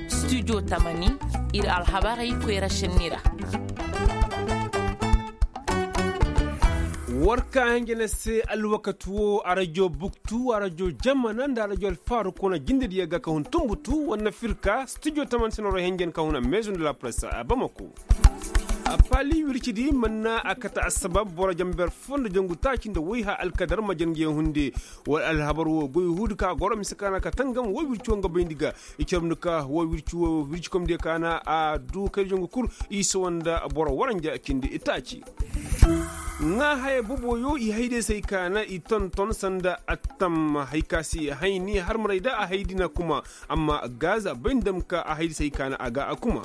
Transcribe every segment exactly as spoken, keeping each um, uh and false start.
Studio tamani, ir alhabarey koyra šenni ra. War ka hanjana se alwakati wo arajo buktu arajo jamana nda arajo alfaaru kuna jindediyo ga ka hun tumbutu wanna firka studio tamani se noro henjen ka huna maison de la presse a bamako. Paali wircidi manna a kate assabab boro jamber fo nda jangu taaci nda wayha alkadar ma jange hunde. Wala alhabar wo goy huudi ka goro mise kaana ka tangam wo wirci wo nga bayndi ga. I carabndi ka wo wirci wo wirci komdiyo kaana a du kayri jangu kul. I sawa nda boro waranja cindi taaci. Ŋaa haya boboyo i hayde se ay kaana i tonton sanda attam hay ka si hayni harmarey da a haydi na kuma. Amma gaaza bay nda ma ka a haydi se ay kaana a ga a kuma.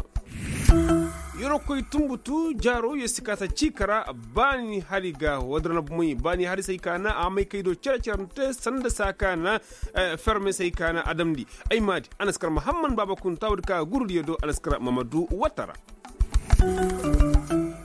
Yorokoy tumbutu jaaro yo si kaasa ciika ra. Baani hari ga wadara na bumey baani hari se ay kaana a may kay do cere-cere nte sanda se a kaana. Ferme se ay kaana a damndi. Ay maadi anaskar mahamman baaba kunta wadi ka gurudiyo do anaskar mamadu watara.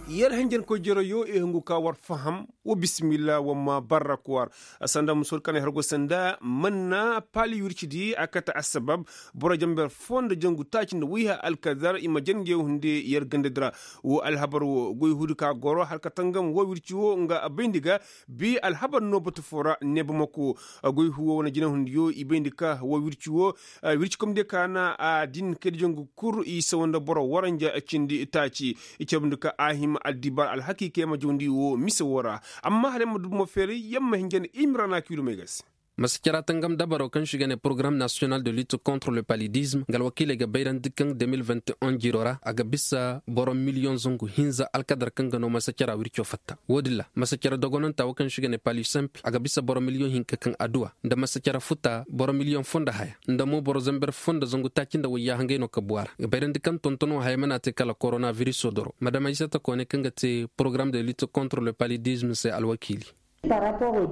Yer henjenkoy jeroyo i hungu ka war faham. Wa bisimilla wa ma barra kuwar. Sanda musor kanay hargo sanda manna paali wircidi a kate assabab. Boro jamber fo nda jangu taaci nda wiiha alkadar i ma jange hunde yer gandadi ra. Wo alhabar wo goy huudi ka goro har ka tangam wo wirci wo nga bayndi ga. Bi alhabar no batu fo ra nebamako. Goy huwo wane jina hundiyo i bayndi ka wo wirci wo. Wirci komdiyo ka na a din kayda jangu kul i sawa nda boro waranja cindi taaci. I carbundi ka a hima addibar alhakiikey ma jawndi wo mise wo ra. Amma hala yamma dubu ma feeri yamma hinja nda imrana kiilumey ga se. Masacara tangam dabaro kaŋ se i ga ne porogaram nasiyonal de lutte contre le palidisme nga alwakiiley ga bayrandi kaŋ deux mille vingt et un jiiro ra a ga bisa boro miliyoŋ zangu hinza alkadar kaŋ ga no masacara wirco fatta. Wo-din ra masacara dogonanta wo kaŋ se i ga ne palisimple a ga bisa boro miliyoŋ hinka kaŋ adduwa nda masacara futa boro miliyoŋ fo nda haya nda mo boro zamber fo nda zangu taaci nda wayya hangay no kabu a ra ga bayrandi kaŋ tontono haya mana te kala korona viriso doro madam aysata koone kaŋ ga te porogaram de lutte contre le palidisme se alwakiili.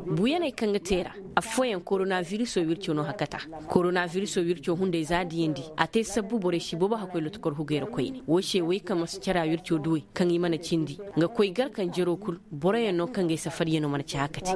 Buyaney kaŋ ga te ra affooyaŋ korona viriso wirco no hakata. Korona viriso wirco hunday za diyandi a te sabbu borey si boobo hakkoy lotokor hugey ra koyne wo se way kaŋ masa cara wirco duwey kaŋ i mana cindi nga koy gar kaŋ jero kul boroyaŋ no kaŋ gay safaryaŋo mana ci hakati.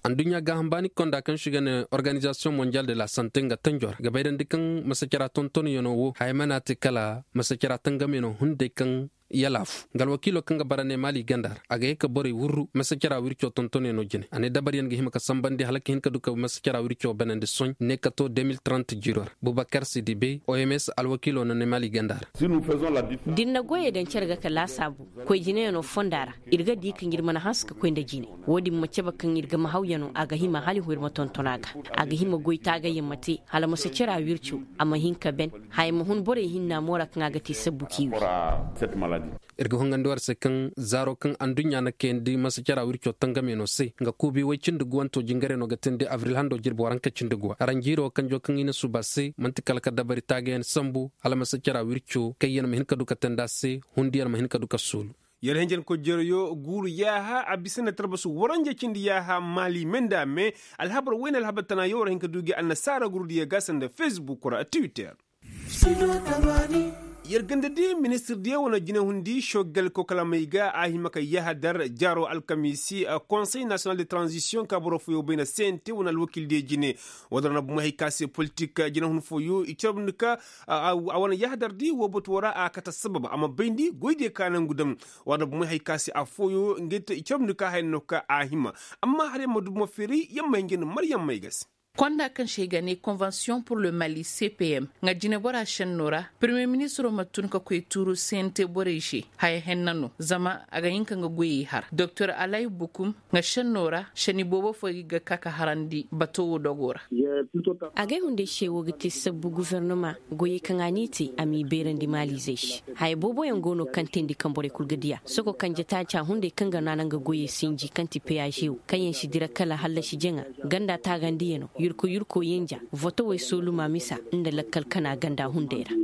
Adduɲɲa gaaham baani konda kaŋ se i ga ne organizasiyoŋ mondial de la sante nga tanjo ra ga bayrandi kaŋ masa cara tontonyaŋo wo haya mana te kala masa cara tangamyaŋo hunday kaŋ yalaafu nga alwakiilo kaŋ ga bara ne maali ganda ra a ga ye ka borey wurru masa cara wirco tontonyaŋo jine a ne dabaryaŋ ga hima ka sambandi hala ka hin ka du ka masa cara wirco banandi soɲ ne ka to deux mille trente jiiro ra bubakar sidibe oms alwakiilo na ne maali ganda ra. Da ir na goyey daŋ cere ga ka laasaabu koy jineyaŋo fonda ra ir ga di kaŋ ir mana hanse ka koy nda jine. Wo-din ma cabe kaŋ ir ga mahawyaŋo a ga hima hala ir ma tonton a ga a ga hima goy taagayyaŋ ma te hala masa cara wirco a ma hin ka ben haya ma hun borey hinna moora kaŋ a ga te sabbu k'i wi. Ir ga hongandi war se kaŋ zaaro kaŋ anduɲɲa na kayandi masa cara wirco tangamyaŋo se nga kuubi way cindi guwanto jingaryaŋo ga teendi abril hando jirbi waranka cindi guwa aranjiiro kanjo kaŋ i na suuba se man'ti kala ka dabari taagayaŋ sambu hala masa cara wirco kayyaŋ ma hin ka du ka teendi a se hundiyaŋ ma hin ka du ka suulu. Yer henjen ko jereyo guuru yaaha a bisa nda tarbasu waranja cindi yaaha maali me nda me. Alhabar wayne alhabar tana yo war hin ka du gi annasaara gurudiyo ga sanda facebook ra twitter. Yer ganda di ministir diyo wane jinahundi shogal kokolamey ga a hima ka yahadar jaaro alkamiisi konsey nasiyonal de tranzisiyoŋ ka boro fooyo bay na cnt wane alwakiil diyo jine. Wala ra na bumey hay ka se politik jinahun fooyo i carbundi ka a wane yahadar di wo batuwo ra a kate assabab a ma bayndi goy diyo ka nangu daŋ. Wala ra na bumey hay ka se affooyo ngey te i carbundi ka haya no ka a hima. Amma hala yer ma du buma feeri yer ma hinja nda maryaŋ may ga se. Konda kaŋ se i ga ne konvensiyoŋ pur le mali cpm nga jinebora šenno ra. Permiye ministiro ma tun ka koy tuuru cnt borey se haya henna no zama a ga hin ka nga goyey har doktor alay bukum nga šenno ra šeni boobo fo ga ka ka harandi bato wo dogo ra. Agay hunday se wo ga te sabbu guvernoma goyey kaŋ a n'i te a m'i beerandi maalizey se. Haya booboyaŋ go no kaŋ teendi kaŋ borey kul ga diya soko kanje taaca hunday kaŋ ga naana nga goyey sinji kaŋ ti peyaže wo kaŋ yaŋ si dira kala hallasi jaŋa. Ganda taagandiyano yurko yurko yanja votowey sooluma misa nda lakkal kana ganda hunday ra.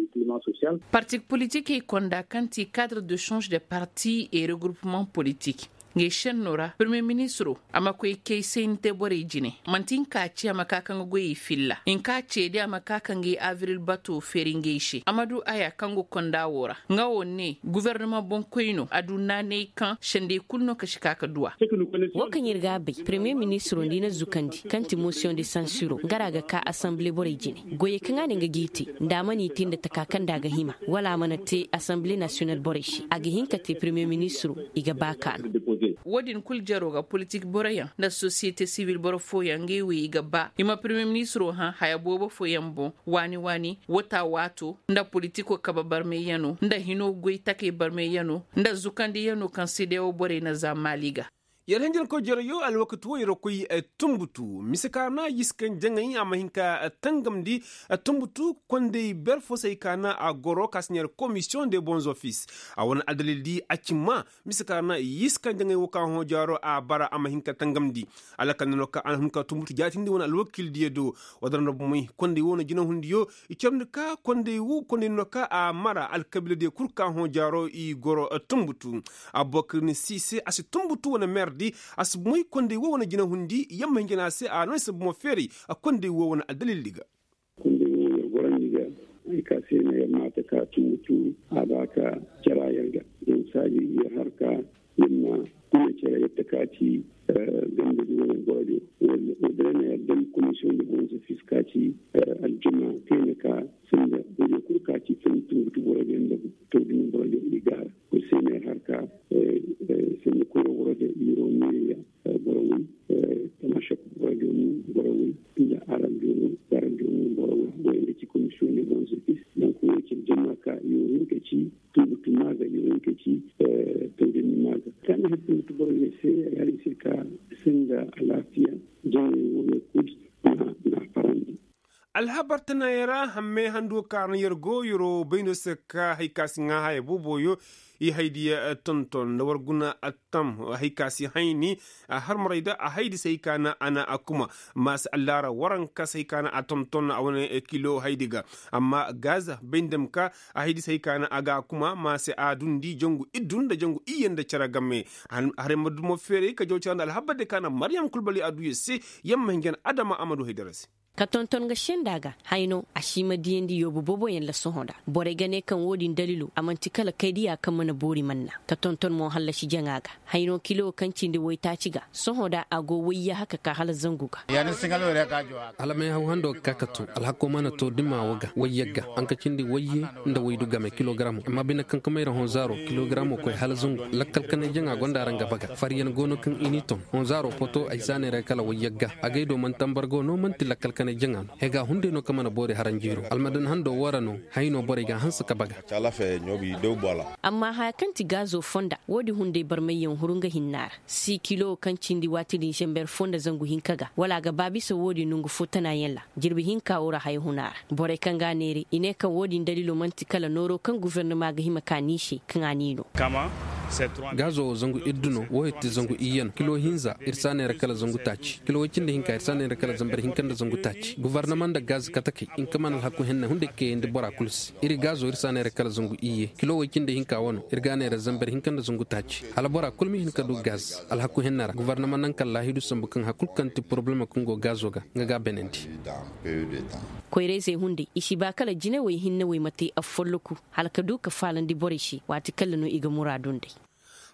Parti politikey konda kaŋ ti cadre de change de parti et regroupement politik. Ngey šennoo ra, pirmiye ministiroo a ma koy kay sayni te borey jine. Man'ti nka ce a ma ka ka nga goyey filla nka ce day a ma ka ka ngey abril batoo feeri ngey se a ma du aya kaŋ go konda woo ra. Nga woo ne gufornama boŋkoynoo a du naanay kaŋ sendey kul no ka si ka ka du a. Woo kaŋ ir ga a bay pirmiye ministiroo nda i na zukandi kaŋ ti mosiyoŋ de sansiroo nga ra a ga ka asanbile borey jine. Goyey kaŋ a ne nga g'i te nda a mana i te nda taka kaŋ nda a ga hima wala a mana te asanbile nasiyonal borey se a ga hin ka te pirmiye ministiroo. I ga ba ka no. Woo din kul jaroo ga politik boroyaŋ nda sosiyete sibil boro fooyaŋ ngey wey i ga ba i ma pirmiye ministiroo hã haya boobo fooyaŋ boŋ waani waani wata waato nda politikoo kabe barmayyanoo nda hinoo goy takey barmayyanoo nda zukandiyanoo kaŋ sedeyawo borey na za maali ga. Yer hinjankoy jaroyo alwakati woo yer koy. Tunbutu mise kaana yiskan jaŋay a ma hin ka tangamndi. Tunbutu konday ber fo se ay kaana a goro ka si ɲar komisiyoŋ de bonzofis a wane adalil di a ci maa mise kaana yiskan jaŋay woo ka hõ jaaro a bara a ma hin ka tangamndi. Alakal na no ka a na hin ka tunbutu jaatindi wane alwakil diyo do. Wadara na bomey konday woo na jinahundiyo i carndi ka konday woo konday na no ka a mara alkabiila diyo kul ka hõ jaaro i goro. Tunbutu abubakar ni si se a si tunbutu wane meerdi a si moy konday woo wane jinahundi yamma hinjana se a no ay se bomo feeray. Konday woo wane addalildi ga. Konday woo yer gorandi ga ay ka se no yer maata ka tunbutu a ba ka cara yer ga. Yer saaji yer har ka yer ma kuna care yer ta ka ci. Ganda di wane gorodi wala wadda na yer dam komisiyoŋ da bonso fis ka ci aljuma kayna ka sanda goyo kul ka ci tunbutu boro ga yer da tawdini boro ga i gaara. Kul se ne har ka sanda koro boro ga iro miriya boro way tamašak boro ga mu boro way nda arab jono arab jono boro way boro ga ci komisiyoŋ ne bonso fis. Donk wo ci jama ka iro hin ka ci tunbutu maaga iro hin ka ci tawdini maaga. Ka ni har tunbutu boro ga se ay har i se ka sanda alaafiya jama wo ne kul na farandi. Alhabar tanayaŋ ra hammey handu ka ra no yer go yeroo bayndo se ka hay ka si ŋaa haya booboyo. I haydiya tonton nda war guna attam hay ka si hayni. Harmarayda a haydi se hay ka na a na a kuma maasi allaara waranka se hay ka na a tonton a wane kilo haydi ga. Amma gaz baydam ka a haydi se hay ka na a ga a kuma maasi a dundi jangu iddu nda jangu iyye nda cere game. Haray ma dumo feeray ka jaw cere nda alhabar de ka na maryam kulbali a du yer se. Yamma hinjan adama a ma du haydara se. Ka tonton ga senda ga hayno a si ma diyandi yoobu booboyaŋ la sohõ nda borey ga ne kaŋ wo-din dalilo a man'ti kala kaydiya kaŋ mana boori manna. Ka tonton mo hallasi jaŋa ga hayno kilo kaŋ cindi waytaaci ga sohõ nda a go wayyaha ka ka hala zangu ga. Hala may haw hando ga ka ka to alhako mana to dima wo ga wayyagga haŋ ka cindi wayye nda waydu game kilogramo amma bine kaŋ ka mayra honzaaro kilogramo koy hala zangu. Lakkal kanay jaŋa gonda ra nga baga faryaŋ go no kaŋ i n'i ton honzaaro poto ay si a neera kala wayyagga agay do man'ti ambargo no man'ti lakkal kanay jaŋa no. Hega hunday no kaŋ mana boori haranjiiro almadan hando woo ra no. Hayno borey ga a hanse ka baga. Amma haya kaŋ ti gaazo fonda wo-din hunday barmayyaŋ huru nga hinna ra si kilo kaŋ cindi waati din zamber fo nda zangu hinka ga wala a ga ba bisa wo-din nongu fo tanaayaŋ ra. Jirbi hinka woo ra haya huna ra borey kaŋ ga a neere i ne kaŋ wo-din dalilo man'ti kala nooro kaŋ gufernama ga hima ka n'i se kaŋ a n'i no. Gaazo wo zangu iddu no woo yer ti zangu iyye no kilo hinza ir si a neera kala zangu taaci kilo woy cindi hinka ir si a neera kala zamber hinka nda zangu taaci gufarnama nda gaz katakey hinka mana alhaku henne hunday kayandi bora kul se. Iri gaazo ir si a neera kala zangu iyye kilo woy cindi hinka wano ir ga a neera zamber hinka nda zangu taaci hala bora kul ma hin ka du gaz alhaku henne ra gufarnama naŋ kaŋ laahidu sambu kaŋ hari kul kaŋ ti porobalema kaŋ go gaazo ga nga ga a beenandi. Koyra-izey hunday i si ba kala jinawey hinne wey ma te affolloku hala ka du ka faalandi borey se waati kaŋ ra no i ga muraadu nd'ey.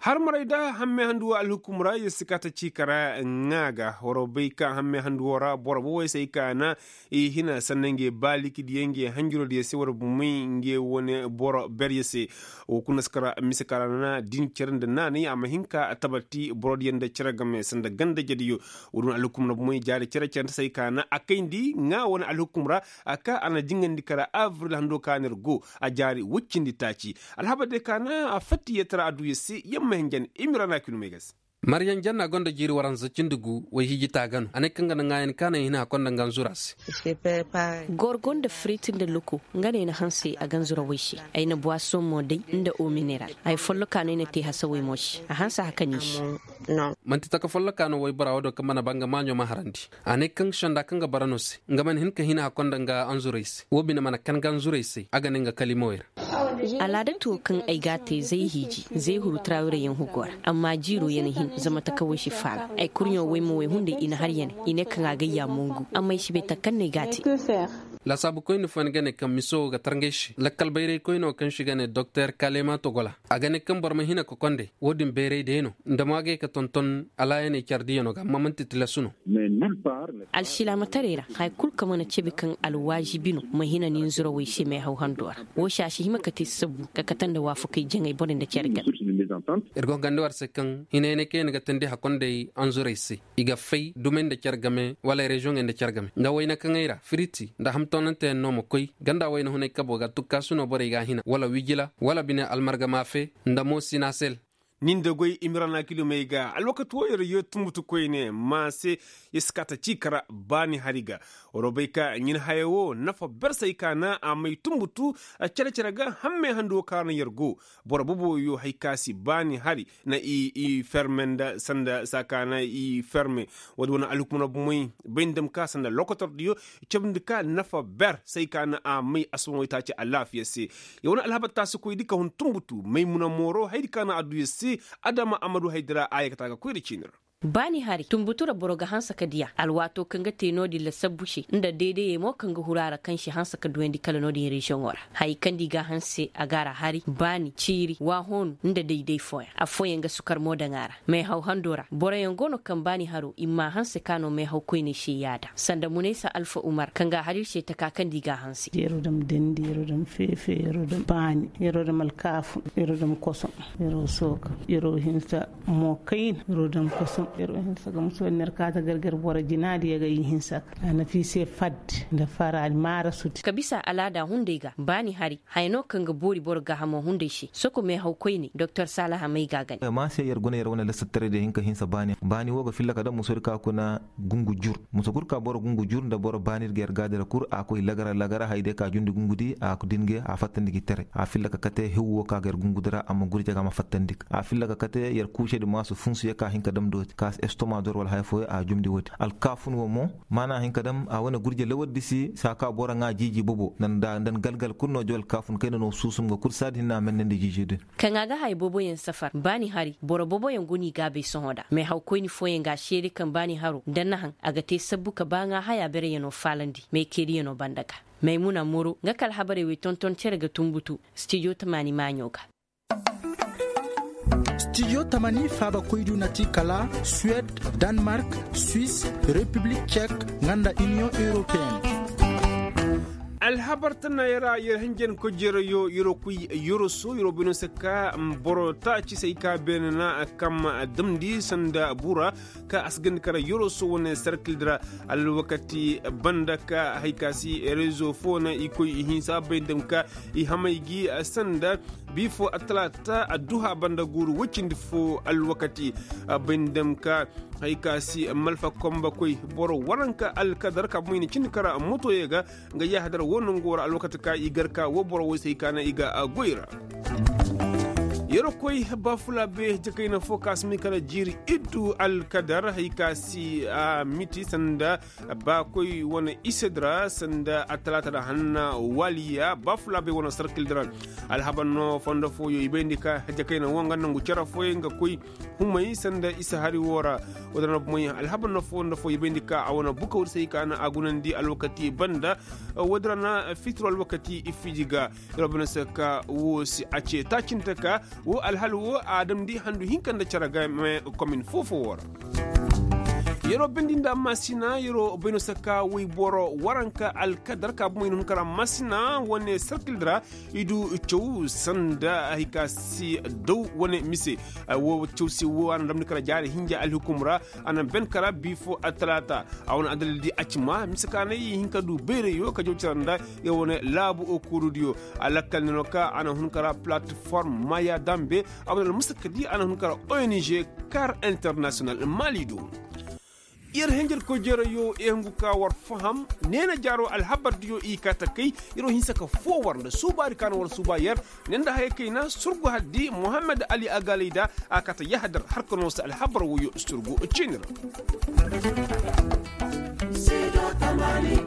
Harmaray da hammey handu woo alhukum ra yer si ka ta ci kara ŋaa ga waro bay ka hammey handu woo ra boro bobey se ay ka na i hina sanna ngey baaliki diyaŋ ngey hanjiro diyaŋ se waro bumey ngey wane boro berye se. Woo kuna si kara mise kara na din cere nda naanay a ma hin ka tabati boro diyaŋ nda cere game sanda ganda jediyo. Woo din alhukum ra bumey jaari cere cere nda se ay ka na a kayndi ŋaa wane alhukum ra a ka a na jingandi kara abril hando ka na ir go a jaari woy cindi taaci. Alhabar day ka na a fatta yeetara a du yer se yamma hinjan imira na a kilomey ga se. Maryaŋ janna gonda jiiri waranza cindi gu way hiji taaga no a ne kaŋ ga na ŋaayan ka na ay hina a konda nga anzura se. Gorgo nda firit nda loko nga no ay na hanse a ga anzura way se. Ay na buwasoŋ mo day nda o mineral haya folloka no ay na te hasawey mo se a hanse haka no i se. Man'ti taka folloka no waybora wo do kaŋ mana ba nga maaɲo ma harandi. A ne kaŋ senda kaŋ ga bara no se nga mana hin ka hina a konda nga anzurey se wo bine mana kan nga anzurey se a ga ne nga kalimawey ra. Alaadatu wo kaŋ ay g'a te zay hiiji zay huru trawirayaŋ hugo ra. Amma jiiro ya na hin zama takawey si faala. Ay kurɲo way ma way hunday i na har ya ne. I ne kaŋ a gayya mongu amma ay si bay taka kaŋ no ay g'a te. Laasaabu koyne fooyaŋ ga ne kaŋ miso wo ga tarngay se lakkal bayray koyne wo kaŋ se i ga ne doktor kalema togola, a ga ne kaŋ boro ma hina kokonday wo-din bayray day no. Nda mo a ga ye ka tonton alaayaney care diyano ga amma man'ti tilasu no. Alsilaamataray ra haya kul kaŋ mana cabe kaŋ alwaazibi no ma hina ninzurawey se meehaw hando ra. Woo se a si hima ka te sabbu ka kate nda waafakey jaŋay borey nda care game. Ir go hangandi war se kaŋ hinayaney kaŋ yaŋ ga teendi hakondey anzurey se i ga fay dumey nda care game wala reziyoŋey nda care game nda wayna kaŋey ra firiti nda hamtoonanteyaŋ no ma koy ganda wayna hunay kabo ga tukkaasu no borey ga a hina wala wijila wala bine almarga maafe nda mo sinasel. Nin da goy imirana kilomey ga alwakati wo yer yee tunbutu koyne maase. Yer si kaa ta cii kara baani hari ga. War bay ka ɲin haya wo nafa ber se ay ka na a may tunbutu care care ga hammey handi wo ka ra na yer go. Boro boboyo hay ka si baani hari na i ferme nda sanda saakaana i ferme. Woodi wane alhukumna bomey bay nda dam ka sanda lokotordiyo. Cabndi ka nafa ber se ay ka na a may asuba way taaci alaafiya se. Yer wane alhabar taasikoydi ka hun tunbutu maymuna mooro haydi ka na a du yer se. Adama amadu haydi ra a yee ka taa ga koy nda ciini ra. Baani hari tunbutu ra boro ga hanse ka diya alwaatoo kaŋ ga te no-din lasabbu se nda deedeyey mo kaŋ ga huru a ra kaŋ si hanse ka duyandi kala no-din reziyoŋo ra. Hayey kaŋ nda i g'a hanse a g'a ra hari baani ciiri waahoonu nda day day fooyaŋ affooyaŋ ga sukar mo daŋ a ra. Meehaw hando ra boroyaŋ go no kaŋ baani haro i mma a hanse ka no meehaw koyney se yaada sanda munaysa alfa umar kaŋ ga a har ir se taka kaŋ nda i g'a hanse. Yeroo dam dendi yeroo dam feefe yeroo dam baani yeroo dam alkaafu yeroo dam kosom yeroo sooka yeroo hinsa. Mo kayna yeroo dam kosom yeroo hinsa ga musu wane ner kaata gargar boro jinaadi ya ga i hinsa ka a na fii se fadde nda fara almaarasudi. Ka bisa alaada hunday ga baani hari haya no kaŋ ga boori boro gaahamo hunday se soko meehaw koyne doktor saalaha may ga a gane. Maa se yer guna yer wane lassataray da hin ka hinsa baani baani wo ga filla ka dam musori ka kuna gungu jur. Musa kul ka boro gungu jur nda boro baanir ga yer gaadi ra kul a koy lagara lagara hay day ka jundi gungudi a din ga a fattandi gi tere a filla ka kate hew wo ka ga yer gungudi ra a ma gurja ga a ma fattandi ga a filla ka kate yer kuusedi maasu funsu ye ka hin ka dam dooti ka si estoma dor wala haya fooyo a jumndi woodi alkaafun wo mo. Maana hin ka dam a wane gurja lawardi si saa ka boro ŋaa jiiji bobo nda nda galgal kul no jaw alkaafun kayna no suusum ga kul saadi hinne a mennandi jiiji din. Kaŋ a ga haya booboyaŋ safar baani hari boro booboyaŋ go no i gaabay sohõ nda meehawkoyni fooyaŋ ga a seede kaŋ baani haro nda nahaŋ a ga te sabbu ka baaŋaa haya bereyanoo faalandi meekeeriyanoo banda ga. Maymuna moro nga ka alhabarey wey tonton cere ga tunbutu stijo tamaani maaɲo ga. Stijo tamaani faabakoydu na ti kala suwed, danmark, swis, repiblik cek, nga nda iniyoŋ europeyen. Alhabar tana yara yer hinjankoy jeerayo yeroo koy yeroo soo yeroo bay no se ka boro taaci se ay ka beene na kam damndi sanda bura ka a si gandi kara yeroo soo wane serkildi ra. Alwakati banda ka hay ka si rezo foo na i koy i hinsa bay nda ka i hamay gi sanda bii foo attalaata adduha banda guuru woy cindi foo alwakati. Bay nda ka hay ka si malfa komba koy boro waranka alkadar ka bomo i na cindi kara motoyey ga. Nga yahadar wo nongo ra alwakati ka i gar ka wo boro woy se hay ka na i ga goy ra. Yeroo koy baafulaabe jakayna foo ka si may kala jiiri iddu alkadar hay ka si a miti sanda baakoy wane isedi ra sanda attalaata ra hanna waaliya baafulaabe wane sarkildi ra. Alhabar no fondo fooyo i bayndi ka jakayna wo nga nangu cere fooyaŋ ga koy humay sanda isa hari woo ra. Woodin ra bomey alhabar no fondo fooyo i bayndi ka a wane bukawdi se hay ka na a gunandi alwakati banda. Woodin ra na fitiro alwakati ifiiji ga. Yer wo bay no se ka woo si a ce taacinte ka woo alhal woo a damndi handu hinka nda cere game komin foo-foo woo ra. Yer wo bindi nda maasina yer wo bay no se ka woyboro waranka alkadar ka bomey na hun kara maasina wane serkildi ra. I du caw sanda hay ka si daw wane mise. Woo caw se woo a na damndi kara jaari hinja alhukum ra. A na ben kara bii foo attalaata. A wane adalil di a ci ma mise ka na i hin ka du bayrayo ka jaw cere nda yer wane laabu okuurudiyo. A lakkal ne no ka a na hun kara palatiform maya dambe. A wane almusakadi a na hun kara ong kar internasiyonal maali do. Yer henjer koy jeerayo i hungu ka war faham. Neena jaaro alhabardiyo i kaa ta kay. Yer wo hinsa ka foo war nda suubaadi ka na war suuba yer. Ne nda haya kayna surgu haddi mohammed ali agalay da a kaa ta yahadar har ka noo se alhabar woyo surgu ciini ra. Studio tamaani.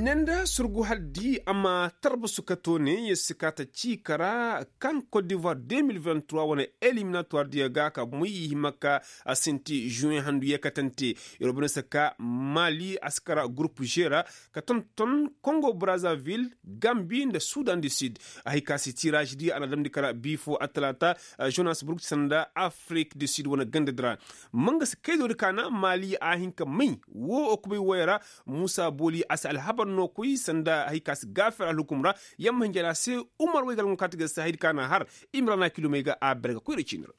Ne nda surgu hal di a ma tarbasu ka to ne yer si ka ta ci kara kan kot divoir deux mille vingt trois wane eliminatuwar diyo ga ka moy i hima ka a sinti juwen handu yeekatante. Yer wo bane si ka mali a si kara gurup g ra ka tonton kongo brazavil, gambi nda sudan du sud. A hay ka si tiraaz di a na damndi kara bi fo a talaata, jonas burg sanda afrik du sud wane ganda di ra. Manga si kaydo di ka na mali a hin ka may wo okubay woyey ra. Muusa booli a si alhabar no koy sanda hay ka si gaafer alhukum ra. Yamma hinja ra se umar way galŋo kaati ga si hay di ka na har. Imrana kilomey ga a berga koyra ciini ra.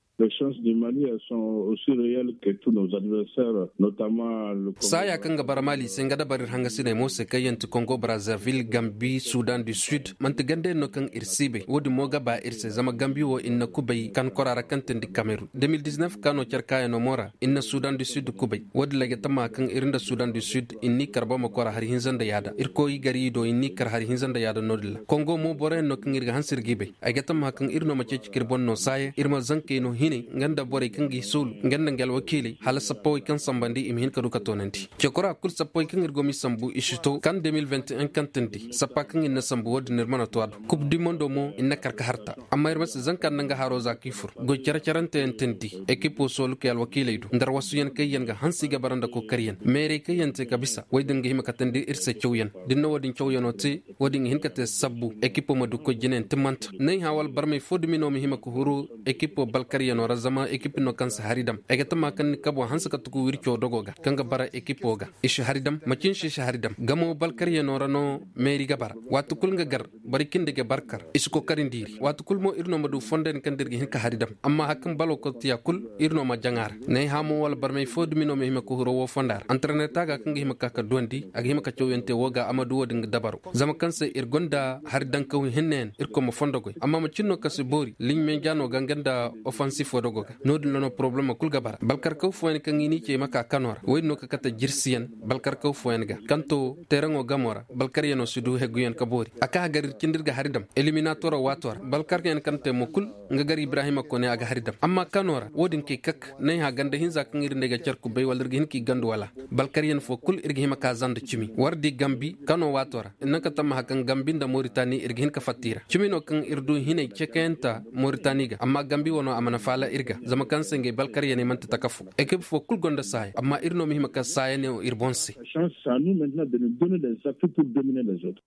Saaya kaŋ ga bara mali se nga dabari ir hangasiney mo se kaŋ yaŋ ti kongo brazavil gambi sudan du sud man'ti ganda yaŋ no kaŋ ir si bay wo- din mo ga ba ir se zama gambi wo ir na kubay kan kora ra kaŋ tindi kamerun de mil diznef kaano care kaayaŋo mo ra ir na sudan du sud kubay. Wo- din ra ay ga tammaha kaŋ ir nda sudan du sud ir n'i kar boro ma kora hari hinza nda yaada ir koy gari do ir n'i kar hari hinza nda yaada no- din ra kongo mo boro yaŋ no kaŋ ir ga hanse ir g'i bay. Ay ga tammaha kaŋ ir no ma ceeci ka ir boŋ no saaya ir ma zankey no hinay nga nda borey kaŋ g'i soolu nga nda nga alwakiiley hala sappawey kaŋ sambandi i ma hin ka du ka toonandi. Cekora kul sappawey kaŋ ir go m'i sambu i si to kan de mil vingt et un kaŋ tindi sappa kaŋ ir na sambu wo- din ir mana to a do. Kub di mondo mo ir na kar ka harta. Amma ir ma si zanka nda nga haro za k'i fur goy care-caranteyaŋ tindi ekipo soolukey alwakiiley do nda arwasuyaŋ kaŋ yaŋ ga hanse i ga bara nda kokaryaŋ meerey kaŋ yaŋ te ka bisa wo- din ga hima ka tandi ir se cawyaŋ. Da ni na wo- din cawyaŋo te wo- din ga hin ka te sabbu ekipo ma du koy jinayaŋ timmanta nay hã wala barmey fo dumi no ma hima ka huru ekipo balkaryaŋo ra zama ekipi no kaŋ si hari dam ay ga tamma kaŋ ni kabo hanse ka tuku wirco dogo ga kaŋ ga bara ekipo ga i si hari dam macin si i si hari dam gamo balkaryaŋo ra no meeri ga bara. Waati kul nga gar boro cindi ga barkar i si kokarindi iri waati kul mo iri no ma du fondo yaŋ kaŋ da iri ga hin ka hari dam amma hari kaŋ balo kotiya kul iri no ma jaŋ a ra. Nay hamo wala barmey fo dumi no ma hima ka huro wo fonda ra antareneta ga kaŋ ga hima ka ka duwandi a ga hima ka cawyaŋ te wo ga a ma du wo- din ga dabaro zama kaŋ se iri gonda hari dankaw hinne yaŋ irkoy ma fondo goy amma macin no kaŋ si boori liɲ meeja no ga nga nda ofansifo dogo ga. No- din ra no porobalema kul ga bara balkarkaw fooyaŋ kaŋ i n'i ce i ma ka kano ra wo- din no ka kate jirsiyaŋ balkarkaw fooyaŋ ga kaŋ to teeraŋo gamo ra balkaryaŋo si du heguyaŋ ka boori a ka hagar ir cindi ir ga hari dam eliminatoro waato ra balkaryaŋ kaŋ te mo kul nga gar ibrahima kone a ga hari dam amma kano ra wo- din kay kak nay hã ganda hinza kaŋ ir nda ay ga care kubay wala ir ga hin k'i gandu wala balkaryaŋ fo kul ir ga hima ka zanda cimi war di gambi kano waato ra ir naŋ ka tammaha kaŋ gambi nda moritani ir ga hin ka fatta i ra cimi no kaŋ ir du hinay cekayanta moritani ga amma gambi wano a mana faala ir ga zama kaŋ se ngey balkaryaŋey man'ti taka fo ekip fo kul gonda saaya amma ir no ma hima ka saaya ne ir boŋ se. Sans à nous maintenant de nous donner les appuis pour dominer les autres.